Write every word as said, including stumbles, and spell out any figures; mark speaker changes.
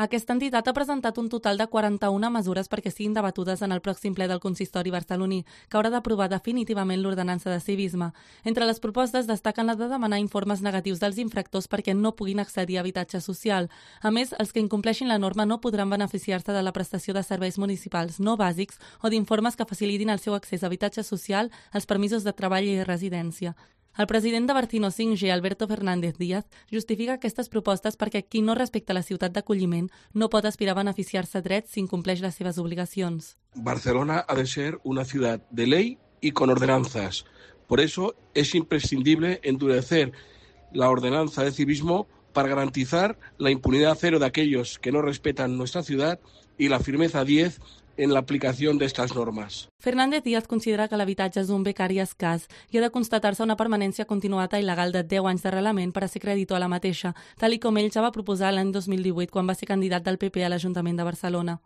Speaker 1: Aquesta entitat ha presentat un total de quaranta-una mesures perquè siguin debatudes en el pròxim ple del consistori barceloní, que haurà d'aprovar definitivament l'ordenança de civisme. Entre les propostes destaquen la de demanar informes negatius dels infractors perquè no puguin accedir a habitatge social. A més, els que incompleixin la norma no podran beneficiar-se de la prestació de serveis municipals no bàsics o d'informes que facilitin el seu accés a habitatge social, els permisos de treball i residència. El president de Barcino cinc G, Alberto Fernández Díaz, justifica aquestes propostes perquè qui no respecta la ciutat d'acolliment no pot aspirar a beneficiar-se drets si incompleix les seves obligacions.
Speaker 2: Barcelona ha de ser una ciudad de ley y con ordenanzas. Por eso es imprescindible endurecer la ordenanza de civismo para garantizar la impunidad cero de aquellos que no respetan nuestra ciudad y la firmeza diez en la aplicación de estas normas.
Speaker 1: Fernández Díaz considera que l'habitatge és un becari escàs i ha de constatar-se una permanència continuada il·legal de deu anys d'arrelament per a ser creditor a la mateixa, tal i com ell ja va proposar l'any dos mil divuit quan va ser candidat del P P a l'Ajuntament de Barcelona.